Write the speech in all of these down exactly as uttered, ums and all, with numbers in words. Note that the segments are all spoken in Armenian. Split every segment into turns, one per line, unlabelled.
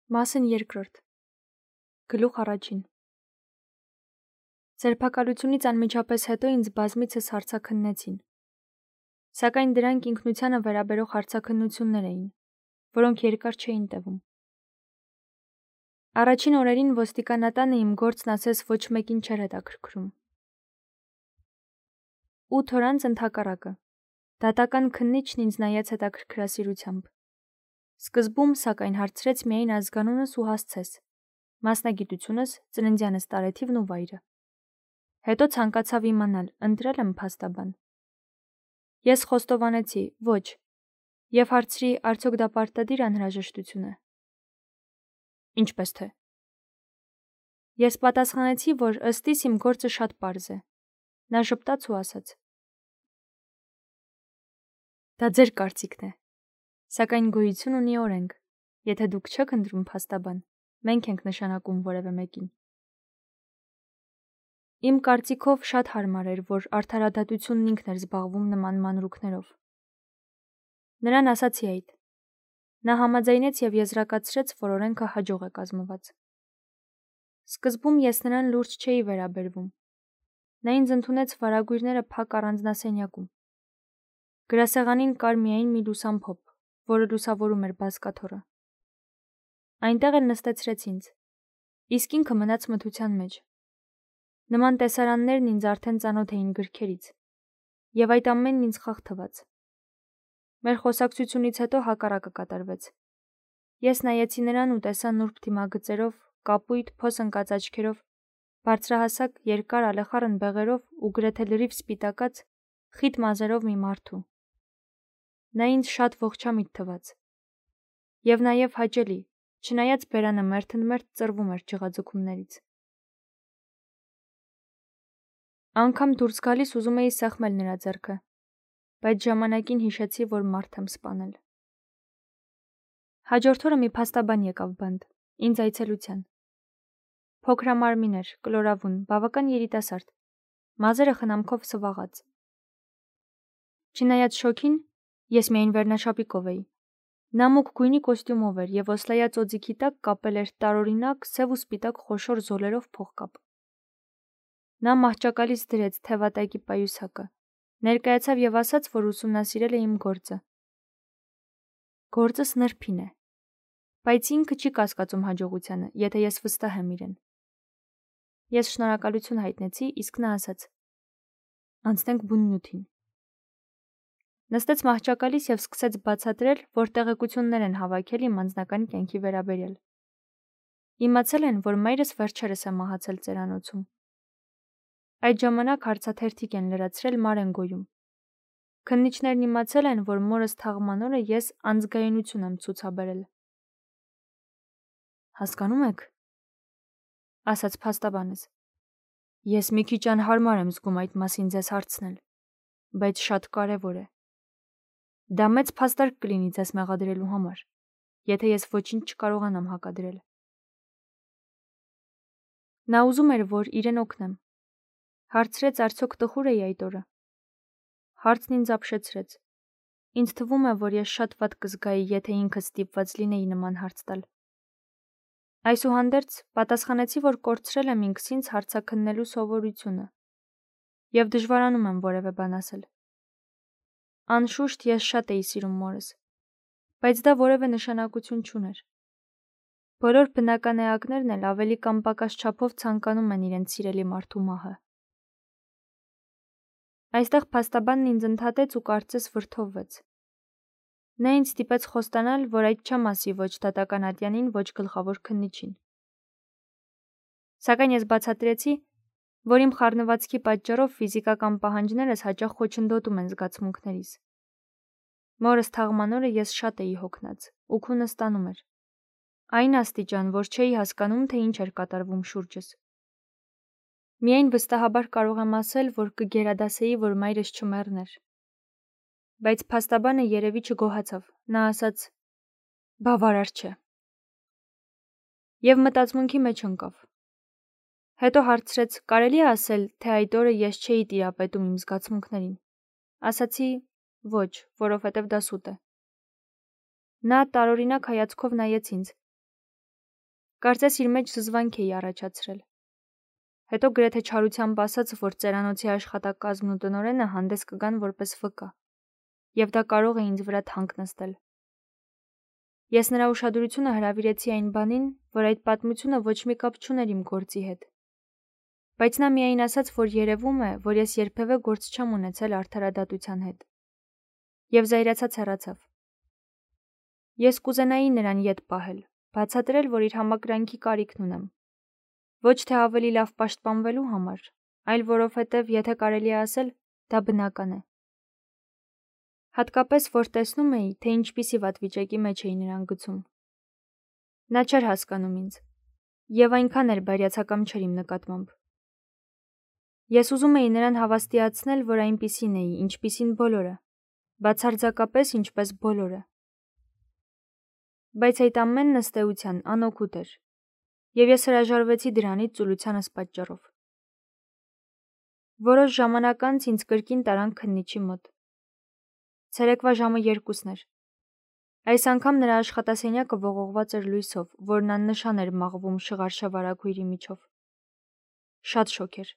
Մասն երկրորդ Գլուխ առաջին Ձերբակալությունից անմիջապես հետո ինձ բազմիցս հարցաքննեցին, սակայն դրանք ինքնությանը վերաբերող հարցաքննություններ էին, որոնք երկար չէին տևում։ Առաջին օրերին ոստիկանատանը իմ գործն ասես ոչ մեկին չէր հետաքրքրում։ Ութ օր անց ընդհակառակը, դատական քննիչն ինձ նայեց հետաքրքրասիրությամբ։ Սկզբում, սակայն, հարցրեց միայն ազգանունս ու հասցես, մասնագիտությունս, ծննդյանս տարեթիվն ու վայրը։ Հետո ցանկացավ իմանալ, ընտրել եմ փաստաբան։ Ես խոստովանեցի՝ ոչ, եւ հարցրի, արդյոք դա պարտադիր անհրաժեշտություն է։ Ինչպես թե։ Ես պատասխանեցի, որ ըստ իս իմ գործը շատ պարզ է։ Նա ժպտաց ու ասաց. Դա ձեր կարծիքն է, սակայն գոյություն ունի օրենք, եթե դուք չեք ընտրում փաստաբան, մենք ենք նշանակում որևէ մեկին։ Իմ կարծիքով շատ հարմար էր, որ արդարադատությունն ինքն էր զբաղվում նման մանրուքներով։ Նրան ասացի այդ։ Նա համաձայնեց եւ եզրակացրեց, որ օրենքը հաջող է կազմված։ Սկզբում ես նրան լուրջ չէի վերաբերվում։ Նա ինձ ընդունեց վարագույրները փակ առանձնասենյակում։ Գրասեղանին կար միայն մի լուսամփոփ, որը լուսավորում էր բազկաթոռը։ Այնտեղ էլ նստեցրեց ինձ, իսկ ինքը մնաց մթության մեջ։ Նման տեսարաններն ինձ արդեն ծանոթ էին գրքերից, եւ այդ ամենն ինձ խաղ թվաց։ Մեր խոսակցությունից հետո հակառակը կատարվեց։ Ես նայեցի նրան ու տեսա նուրբ դիմագծերով, կապույտ, փոս ընկած աչքերով, բարձրահասակ, երկար ալեխառն բեղերով ու գրեթե լրիվ սպիտակած, խիտ մազերով մի մարդու։ Նա ինձ շատ ողջամիտ թվաց։ Եվ նաև հաճելի, չնայած բերանը մերթընդմերթ ծռվում էր ջղաձգումներից։ Անգամ դուրս գալիս ուզում էի սեղմել նրա ձեռքը, բայց ժամանակին հիշեցի, որ մարդ եմ սպանել։ Հաջորդ օրը մի փաստաբան եկավ բանտ, ինձ այցելության։ Փոքրամարմին էր, կլորավուն, բավական երիտասարդ, մազերը խնամքով սվաղած։ Չնայած շոքին, ես միայն վերնաշապիկով էի։ Նա մուգ գույնի կոստյումով էր եւ օսլայած օձիքի տակ կապել էր տարօրինակ սև ու սպիտակ խոշոր զոլերով փողկապ։ Նա մահճակալից դրեց թևատայկի պայուսակը, ներկայացավ եւ ասաց, որ ուսումնասիրել է իմ գործը։ Գործս նրբին է, բայց ինքը չի կասկածում հաջողությանը, եթե ես վստահ եմ իրեն։ Ես շնորհակալություն հայտնեցի, իսկ նա ասաց. Անցնենք բուն նյութին։ Նստեց մահճակալից եւ սկսեց բացատրել, որ տեղեկություններ են հավաքել իմ անձնական կյանքի վերաբերյալ։ Իմացել են, որ մայրս վերջերս է մահացել ծերանոցում։ Այդ ժամանակ հարցաթերթիկ են լրացրել Մարենգոյում։ Քննիչներն իմացել են, որ մորս թաղման օրը ես անձգայունություն եմ ցուցաբերել։ Հասկանում եք, ասաց փաստաբանս։ Ես մի քիչ անհարմար եմ զգում այդ մասին ձեզ հարցնել, բայց շատ կարևոր է։ Դա մեծ փաստարկ կլինի ձեզ մեղադրելու համար, եթե ես ոչինչ չկարողանամ հակադրել։ Նա ուզում էր, որ իրեն օգնեմ։ Հարցրեց, արդյոք տխուր էի այդ օրը։ Հարցն ինձ ապշեցրեց։ Ինձ թվում է, որ ես շատ վատ կզգայի, եթե ինքս ստիպված լինեի նման հարց տալ։ Այսուհանդերձ պատասխանեցի, որ կորցրել եմ ինքս ինձ հարցաքննելու սովորությունը եւ դժվարանում եմ որևէ բան ասել։ Անշուշտ ես շատ էի սիրում մորս, բայց դա որևէ նշանակություն չուներ։ Բոլոր բնական էակներն էլ ավելի կամ պակաս չափով ցանկանում են իրենց սիրելի մարդու մահը։ Այստեղ փաստաբանն ինձ ընդհատեց ու կարծես վրդովվեց։ Նա ինձ ստիպեց խոստանալ, որ այդ չեմ ասի ոչ դատական ատյանին, ոչ գլխավոր քննիչին։ Սակայն ես բացատրեցի, որ իմ խառնվածքի պատճառով ֆիզիկական պահանջներս հաճախ խոչընդոտում են զգացմունքներիս։ Մորս թաղման օրը ես շատ էի հոգնած, ու քունը ստանում էր։ Այն աստիճան, որ չէի հասկանում, թե ինչ էր կատարվում շուրջս։ Միայն վստահաբար կարող եմ ասել, որ կգերադասեի, որ մայրս չմեռներ։ Բայց փաստաբանը երևի չգոհացավ, նա ասաց. բավարար չէ։ Եվ մտածմունքի մեջ ընկավ։ Հետո հարցրեց, կարելի է ասել, թե այդ օրը ես չէի տիրապետում իմ զգացմունքներին։ Ասացի. ոչ, որովհետև դա սուտ է։ Նա տարօրինակ հայացքով նայեց ինձ, Կարծես իր մեջ զզվանք էի առաջացրել։ Հետո գրեթե չարությամբ ասաց, որ ծերանոցի աշխատակազմն ու տնօրենը հանդես կգան որպես վկա, եւ դա կարող է ինձ վրա թանկ նստել։ Ես նրա ուշադրությունը հրավիրեցի այն բանին, որ այդ պատմությունը ոչ մի կապ չուներ իմ գործի հետ։ Բայց նա միայն ասաց, որ երևում է, որ ես երբևէ գործ չեմ ունեցել արդարադատության հետ։ Եվ զայրացած հեռացավ։ Ես կուզենայի նրան ետ պահել, բացատրել, որ իր համակրանքի կարիքն ունեմ։ Ոչ թե ավելի լավ պաշտպանվելու համար, այլ որովհետև եթե կարելի է ասել, դա բնական է։ Հատկապես, որ տեսնում էի, թե ինչպիսի վատ վիճակի մեջ էի նրան գցում։ Նա չէր հասկանում ինձ, եւ այնքան էլ բարյացակամ չէր իմ նկատմամբ։ Ես ուզում էի նրան հավաստիացնել, որ այնպիսին էի, ինչպիսին բոլորը, բացարձակապես ինչպես բոլորը։ Բայց այդ ամենն ըստ էության անօգուտ էր, եւ ես հրաժարվեցի դրանից ծուլությանս պատճառով։ Որոշ ժամանակ անց ինձ կրկին տարան քննիչի մոտ։ Ցերեկվա ժամը երկուսն էր։ Այս անգամ նրա աշխատասենյակը ողողված էր լույսով, որն աննշան էր մաղվում շղարշավ արագույրի միջով։ Շատ շոգ էր։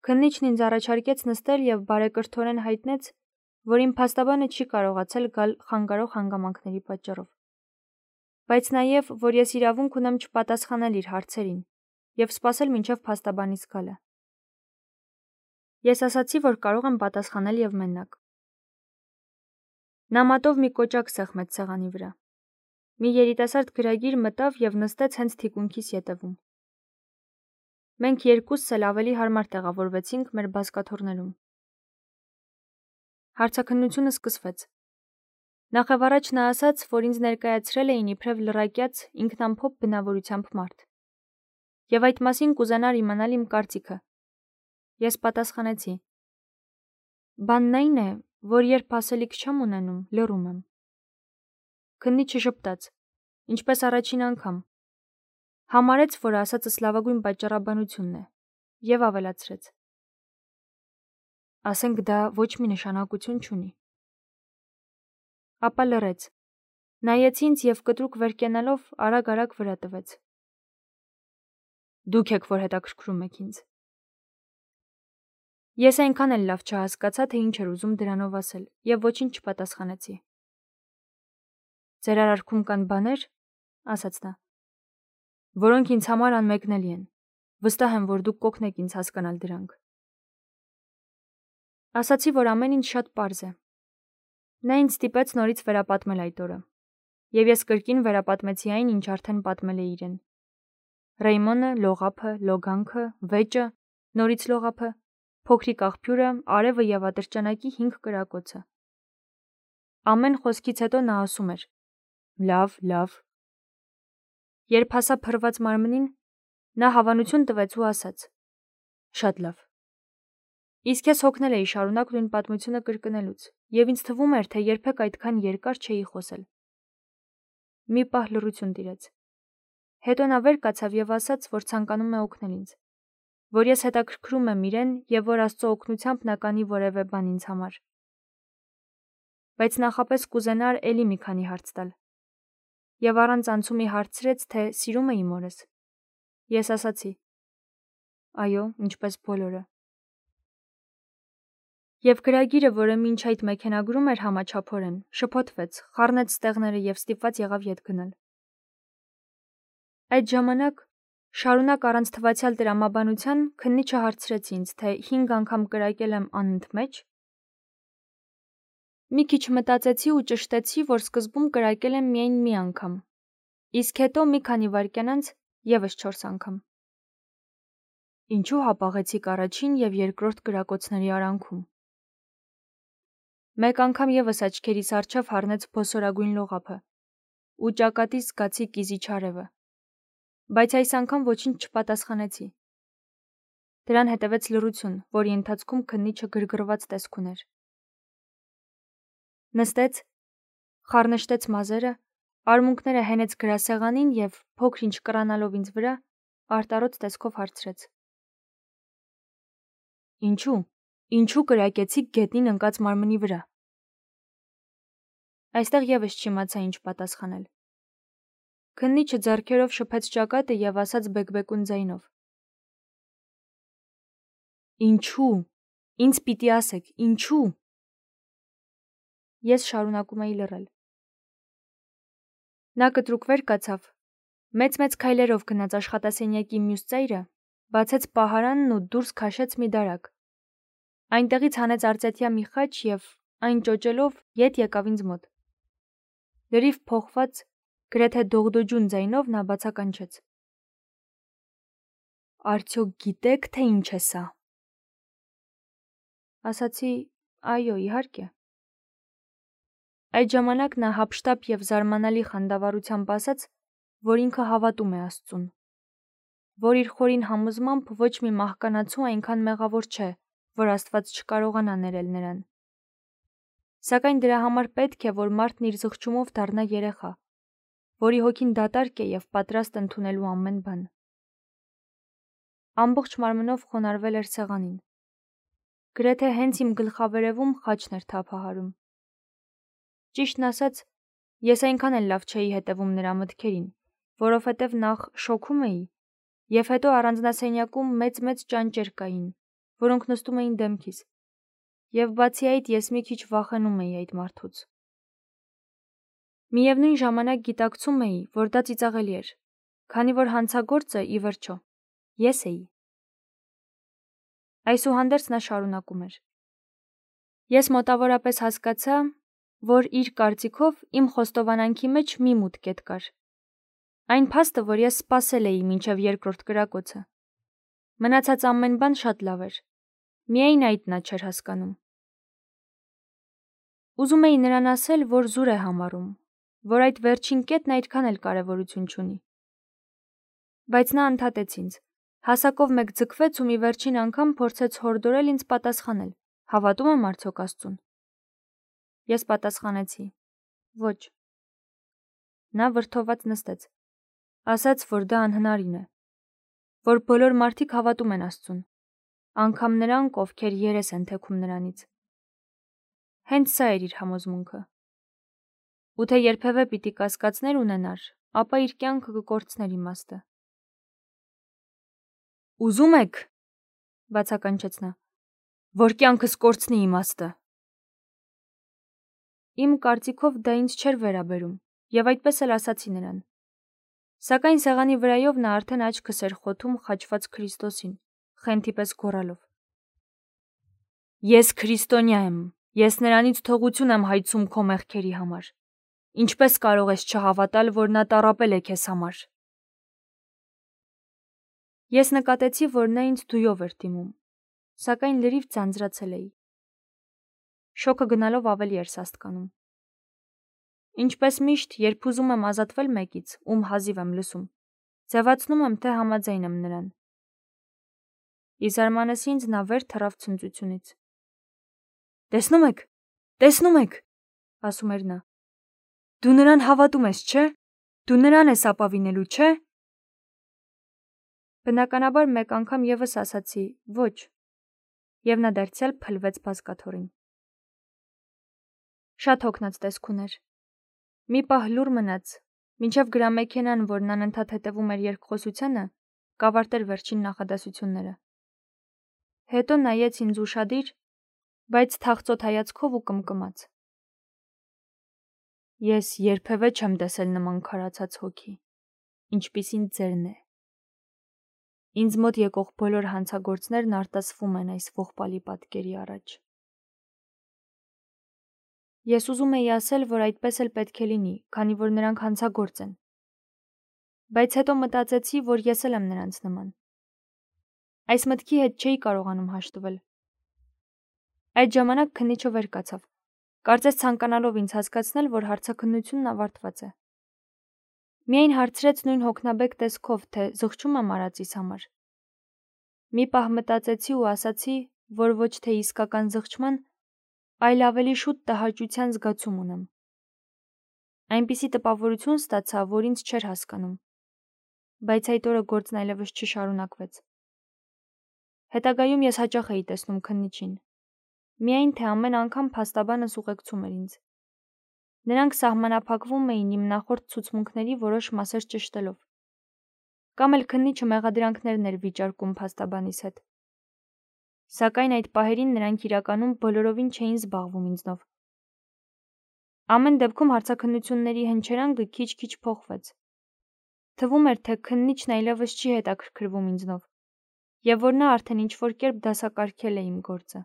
Քննիչն ինձ առաջարկեց նստել եւ բարեկրթորեն հայտնեց, որ իմ փաստաբանը չի կարողացել գալ խանգարող հանգամանքների պատճառով։ Բայց նաեւ, որ ես իրավունք ունեմ չպատասխանել իր հարցերին եւ սպասել մինչեւ փաստաբանից գալը։ Ես ասացի, որ կարող եմ պատասխանել եւ մենակ։ Նա մատով մի կոճակ սեղմեց սեղանի վրա։ Մի երիտասարդ գրագիր մտավ եւ նստեց հենց թիկունքիս ետևում։ Մենք երկուսս էլ ավելի հարմար տեղավորվեցինք մեր բազկաթոռներում։ Հարցաքննությունը սկսվեց։ Նախևառաջ նա ասաց, որ ինձ ներկայացրել էին իբրև լռակյաց ինքնամփոփ բնավորությամբ մարդ։ Եվ այդ մասին կուզենար իմանալ իմ կարծիքը։ Ես պատասխանեցի. Բանն այն է, որ երբ ասելիք չեմ ունենում, լռում եմ։ Քննիչը ժպտաց, ինչպես առաջին անգամ։ Համարեց, որ ասածս լավագույն պատճառաբանությունն է, եւ ավելացրեց. Ասենք դա ոչ մի նշանակություն չունի։ Ապա լռեց։ Նայեց ինձ եւ կտրուկ վերկենալով արագ-արագ վրա տվեց։ Դուք եք, որ հետաքրքրում եք ինձ։ Ես այնքան էլ լավ չհասկացա, թե ինչ էր ուզում դրանով ասել, եւ ոչինչ չպատասխանեցի։ Ձեր արարքում կան բաներ, ասաց նա, որոնք ինձ համար անմեկնելի են։ Վստահ եմ, որ դուք կօգնեք ինձ հասկանալ դրանք։ Ասացի, որ ամեն ինչ շատ պարզ է։ Նա ինձ ստիպեց նորից վերապատմել այդ օրը, եւ ես կրկին վերապատմեցի այն, ինչ արդեն պատմել է իրեն։ Ռեյմոնը, լողափը, լոգանքը, վեճը, նորից լողափը, փոքրիկ աղբյուրը, արևը եւ ատրճանակի հինգ կրակոցը։ Ամեն խոսքից հետո նա ասում էր. Լավ, լավ։ Երբ հասա փռված մարմնին, նա հավանություն տվեց ու ասաց. Շատ լավ։ Իսկ ես հոգնել էի շարունակ նույն պատմությունը կրկնելուց, եւ ինձ թվում էր, թե երբեք այդքան երկար չէի խոսել։ Մի պահ լռություն տիրեց։ Հետո նա վեր կացավ եւ ասաց, որ ցանկանում է օգնել ինձ, որ ես հետաքրքրում եմ իրեն եւ որ Աստծո օգնությամբ նա կանի որևէ բան ինձ համար։ Բայց նախապես կուզենար էլի մի քանի հարց տալ։ Եվ առանց անցումի հարցրեց, թե սիրում է իմ օրս։ Ես ասացի. Այո, ինչպես բոլորը։ Եվ գրագիրը, որը մինչ այդ մեքենագրում էր համաչափորեն, շփոթվեց, խառնեց ստեղները եւ ստիպված եղավ ետ գնալ։ Այդ ժամանակ, շարունակ առանց թվացյալ տրամաբանության, քննիչը հարցրեց ինձ, թե հինգ անգամ կրակել եմ անընդմեջ։ Մի քիչ մտածեցի ու ճշտեցի, որ սկզբում կրակել եմ միայն մի անգամ, իսկ հետո մի քանի վայրկյան անց եւս չորս անգամ։ Ինչու հապաղեցիք առաջին եւ երկրորդ կրակոցների արանքում։ Մեկ անգամ եւս աչքերիս առջև հառնեց փոսորագույն լողափը ու ճակատից զգացի կիզիչ արևը, բայց այս անգամ ոչինչ չպատասխանեցի։ Դրան հետևեց լռություն, որի ընթացքում քննիչը գրգռված տեսք ուներ։ Նստեց, խառնշտեց մազերը, արմունկները հենեց գրասեղանին եւ փոքր-ինչ կռանալով ինձ վրա, արտարոց տեսքով հարցրեց. Ինչու՞, ինչու կրակեցիք գետնին ընկած մարմնի վրա։ Այստեղ եւս չիմացա ինչ պատասխանել։ Քննիչը ձեռքերով շփեց ճակատը և ասաց բեկբեկուն ձայնով. Ինչու՞, ինձ պիտի ասեք, ինչու՞։ Ես շարունակում էի լռել։ Նա կտրուկ վեր կացավ, մեծ-մեծ քայլերով գնաց աշխատասենյակի մյուս ծայրը, բացեց պահարանն ու դուրս քաշեց մի դարակ։ Այնտեղից հանեց արծեթյա մի խաչ և, այն ճոճելով, ետ եկավ ինձ մոտ։ Լրիվ փոխված, գրեթե դողդոջուն ձայնով նա բացականչեց. Արդյոք գիտեք, թե ինչ է սա։ Ասացի. այո, իհարկե։ Այդ ժամանակ նա հափշտապ և զարմանալի խանդավառությամբ ասաց, որ ինքը հավատում է Աստծուն, որ իր խորին համոզմամբ ոչ մի մահկանացու այնքան մեղավոր չէ, որ Աստված չկարողանա ներել նրան։ Սակայն դրա համար պետք է, որ մարդն իր զղջումով դառնա երեխա, որի հոգին դատարկ է և պատրաստ ընդունելու ամեն բան։ Ամբողջ մարմնով խոնարհվել էր սեղանին։ Գրեթե հենց իմ գլխավերևում խաչն էր թափահարում։ Ճիշտն ասած, ես այնքան էլ լավ չէի հետևում նրա մտքերին, որովհետև նախ շոքում էի, և հետո առանձնասենյակում մեծ-մեծ ճանճեր կային, որոնք նստում էին դեմքիս, և բացի այդ ես մի քիչ վախենում էի այդ մարդուց։ Միևնույն ժամանակ գիտակցում էի, որ դա ծիծաղելի էր, քանի որ հանցագործը, ի վերջո, ես էի։ Այսուհանդերձ նա շարունակում էր. Ես մոտավորապես հասկացա, որ իր կարծիքով իմ խոստովանանքի մեջ մի մութ կետ կար։ Այն փաստը, որ ես սպասել էի մինչև երկրորդ կրակոցը։ Մնացած ամեն բան շատ լավ էր։ Միայն այդ նա չէր հասկանում։ Ուզում էի նրան ասել, որ զուր է համարում, որ այդ վերջին կետն այդքան էլ կարևորություն չունի։ Բայց նա ընդհատեց ինձ, հասակով մեկ ձգվեց ու մի վերջին անգամ փորձեց հորդորել ինձ պատասխանել. հավատում եմ արդյոք Աստծուն։ Ես պատասխանեցի. ոչ։ Նա վրդոված նստեց, ասաց, որ դա անհնարին է, որ բոլոր մարդիկ հավատում են Աստծուն, անգամ նրանք, ովքեր երես են թեքում նրանից։ Հենց սա էր իր համոզմունքը։ Ու թե երբևէ պիտի կասկածներ ունենար, ապա իր կյանքը կկորցներ իմաստը։ Ուզում եք, բացականչեց նա, որ կյանքս կորցնի իմաստը։ Իմ կարծիքով դա ինձ չէր վերաբերում, և այդպես էլ ասացի նրան։ Սակայն սեղանի վրայով նա արդեն աչքս էր խոթում խաչված Քրիստոսին, խենթի պես գոռալով. Ես քրիստոնյա եմ, ես նրանից թողություն եմ հայցում քո մեղքերի համար։ Ինչպես կարող ես չհավատալ, որ նա տառապել է քեզ համար։ Ես նկատեցի, որ նա ինձ դույով էր դիմում, սակայն լրիվ ձանձրացել էի։ Շոկը գնալով ավելի էր սաստկանում։ Ինչպես միշտ, երբ ուզում եմ ազատվել մեկից, ում հազիվ եմ լսում, ձևացնում եմ, թե համաձայն եմ նրան։ Ի զարմանս ինձ նա վեր թռավ ցնծությունից։ Տեսնում եք, տեսնում եք, ասում էր նա։ Դու նրան հավատում ես, չէ՞։ Դու նրան ես ապավինելու, չէ՞։ Բնականաբար մեկ անգամ ևս ասացի ոչ, և նա դարձյալ փլվեց բազկաթոռին։ Շատ հոգնած տեսք ուներ։ Մի պահ լուռ մնաց, մինչև գրամեքենան, որն անընդհատ հետևում էր երկխոսությանը, կավարտեր վերջին նախադասությունները։ Հետո նայեց ինձ ուշադիր, բայց թախծոտ հայացքով ու կմկմաց։ Ես երբևէ չեմ տեսել նման քարացած հոգի, ինչպիսին ձերն է։ Ինձ մոտ եկող բոլոր հանցագործներն արտասվում են այս ողբալի պատկերի առաջ։ Ես ուզում էի ասել, որ այդպես էլ պետք է լինի, քանի որ նրանք հանցագործ են։ Բայց հետո մտածեցի, որ ես էլ եմ նրանց նման։ Այս մտքի հետ չէի կարողանում հաշտվել։ Այդ ժամանակ քննիչը վեր կացավ, կարծես ցանկանալով ինձ հասկացնել, որ հարցաքննությունն ավարտված է։ Միայն հարցրեց նույն հոգնաբեկ տեսքով, թե զղջում եմ արածիս համար։ Մի պահ մտածեցի ու ասացի, որ ոչ թե իսկական զղջման, այլ ավելի շուտ տհաճության զգացում ունեմ։ Այնպիսի տպավորություն ստացա, որ ինձ չէր հասկանում, բայց այդ օրը գործն այլևս չշարունակվեց։ Հետագայում ես հաճախ էի տեսնում քննիչին, միայն թե ամեն անգամ փաստաբանս ուղեկցում էր ինձ։ Նրանք սահմանափակվում էին իմ նախորդ ցուցմունքների որոշ մասեր ճշտելով։ Կամ էլ քննիչը մեղադրանքներն էր վիճարկում փաստաբանիս հետ։ Սակայն այդ պահերին նրանք իրականում բոլորովին չէին զբաղվում ինձնով։ Ամեն դեպքում հարցաքննությունների հնչերանգը քիչ-քիչ փոխվեց։ Թվում էր, թե քննիչն այլևս չի հետաքրքրվում ինձնով, եւ որ նա արդեն ինչ-որ կերպ դասակարգել է իմ գործը։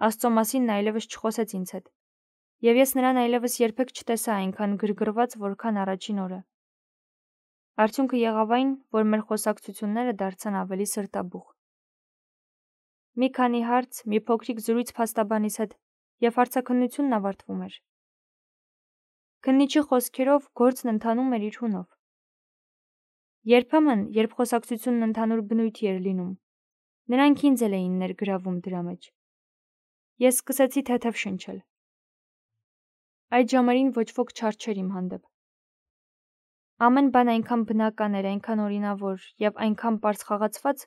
Աստծո մասին նա այլևս չխոսեց ինձ հետ, եւ ես նրան այլևս երբեք չտեսա այնքան գրգռված, որքան առաջին օրը։ Արդյունքը եղավ այն, որ մեր խոսակցությունները դարձան ավելի սրտաբուխ։ Մի քանի հարց, մի փոքրիկ զրույց փաստաբանիս հետ, եւ հարցաքննությունն ավարտվում էր։ Քննիչի խոսքերով գործն ընթանում էր իր հունով։ Երբեմն, երբ խոսակցությունն ընդհանուր բնույթի էր լինում, նրանք ինձ էլ էին ներգրավում դրա մեջ։ Ես սկսեցի թեթև շնչել։ Այդ ժամերին ոչ ոք չար չէր իմ հանդեպ։ Ամեն բան այնքան բնական էր, այնքան օրինավոր եւ այնքան պարզ խաղացված,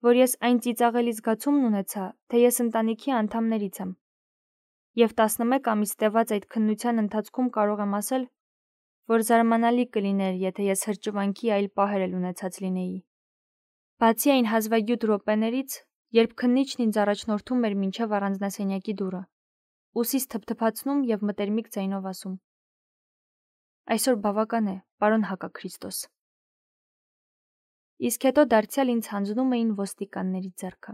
որ ես այն ծիծաղելի զգացումն ունեցա, թե ես ընտանիքի անդամներից եմ։ Եվ տասնմեկ ամիս տևած այդ քննության ընթացքում կարող եմ ասել, որ զարմանալի կլիներ, եթե ես հրճվանքի այլ պահեր էլ ունեցած լինեի։ Բացի այն հազվագյուտ րոպեներից, երբ քննիչն ինձ առաջնորդում էր մինչև առանձնասենյակի դուռը, ուսիս թփթփացնում եւ մտերմիկ ձայնով ասում. Այսօր բավական է, պարոն Հակաքրիստոս։ Իսկ հետո դարձյալ ինձ հանձնում էին ոստիկանների ձեռքը։